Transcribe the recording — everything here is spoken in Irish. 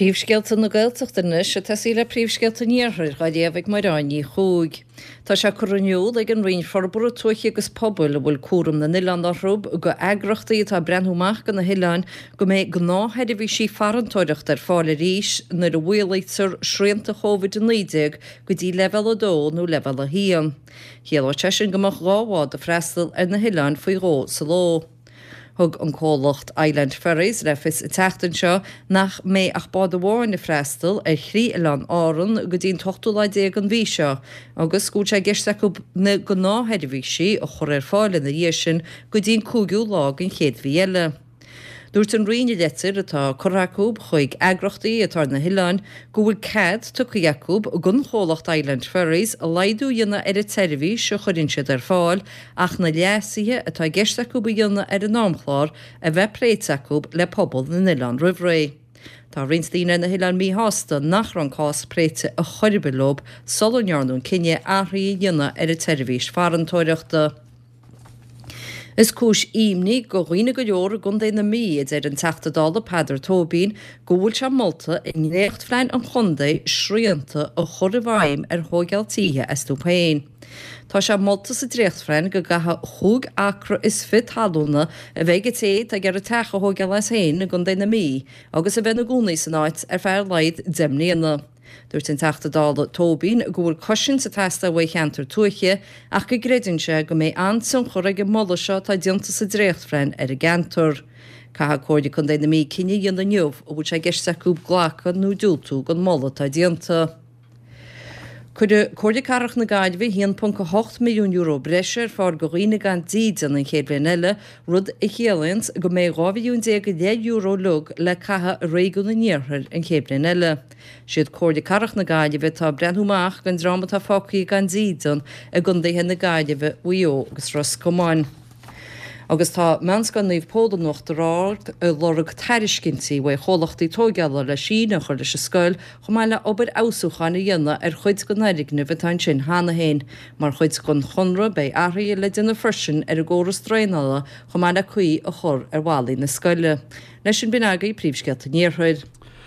Príomhscéalta na Gaeltachta anois ag tosaí le príomhscéalta an Iarthair dhá léamh ag Mairéad Ní Chuaig. Tá sé curtha in iúl ag an Roinn Forbartha Tuaithe agus Pobail, a bhfuil cúram na n-oileán orthu, go eagrachtaí atá ag breathnú amach go na hoileáin go mbeidh gnáthsheirbhísí farantóireachta ar fáil arís nuair a mhaolaítear srianta Covid-19 go dtí Leibhéal 2 nó Leibhéal 1. Chiallódh sé sin go mbeadh 2 bhád ag freastal ar na hoileáin faoi dhó sa ló. Thug an comhlacht Island Ferries le fios an tseachtain seo nach mbeidh ach bád amháin ag freastal ar thrí oileán Árann go dtí an t-ochtú lá déag den mhí seo agus go bhfuil sé i gceist acu na gnáthsheirbhísí a chur ar fáil ina dhiaidh sin go dtí an cúigiú lá den chéad mhí eile. Dúirt an Roinn i leitir atá curtha acu chuig eagrachtaí atá ar na hoileáin go bhfuil cead tugtha acu don chomhlacht Island Ferries laghdú a dhéanamh ar an tseirbhís a chuireann siad ar fáil ach na leasuithe atá i gceist acu a dhéanamh ar an amchlár a bheith pléite acu le pobal na n-oileán roimh ré. Tá roinnt daoine ar na hoileáin míshásta nach raibh an cás pléite a chor ar bith leo sula ndearnadh an cinneadh athruithe a dhéanamh ar an tseirbhís farantóireachta. Is cúis imní go dhaoine go leor i gContae na Mí, a deir an Teachta Dála Peadar Tóibín, go bhfuil sé molta i ndréachtphlean an chontae srianta a chur i bhfeidhm ar thóigeáil títhe astu féin. Tá sé molta sa dréachtphlean go gcaithfidh chúig acra is fiche talúna a bheith ag an té atá ag iarraidh teach a thóigeáil as féin i gContae na Mí agus a bheith ina gcónaí san áit ar feadh ar laghad 10 mbliana. Dúirt an Teachta Dála Tóibín go bhfuil cosaint ag teastáil uaidh cheantair tuaithe ach go gcreideann sé go mbeidh an-tionchar ag an moladh seo atá déanta sa dréachtphlean ar an gceantar. Caithfidh Comhairle Contae na Mí cinneadh a dhéanamh inniu an bhfuil sé i gceist acu glacadh nó diúltú don moladh atá déanta. Cuirfidh Comhairle Cathrach na Gaillimhe €1.8 milliún breise ar fáil do dhaoine gan dídean an chéad bhliain eile, rud a chiallaíonns go mbeidh €12 mhilliún go leith uilig le caitheamh i réigiún an iarthair an chéad bhliain eile. Siad Comhairle Cathrach na Gaillimhe atá ag breathnú amach don dream atá fágtha gan dídean i gcontaetha na Gaillimhe, Mhaigh Eo agus Ros Comáin. Agus tá Meánscoil Naomh Pól in Uachtar Ard ag lorg tairiscintí uaidh chomhlachtaí tóigeála le síneadh a chur leis an scoil chomh maith le obair fheabhsúcháin a dhéanamh ar chuid den fhoirgneamh atá ansin cheana féin. Mar chuid den chonradh beidh athruithe le déanamh freisin ar an gcóras draenála chomh maith le caoi a chur ar bhallaí na scoile. Leis sin b'in agaibh príomhscéalta an Iarthair.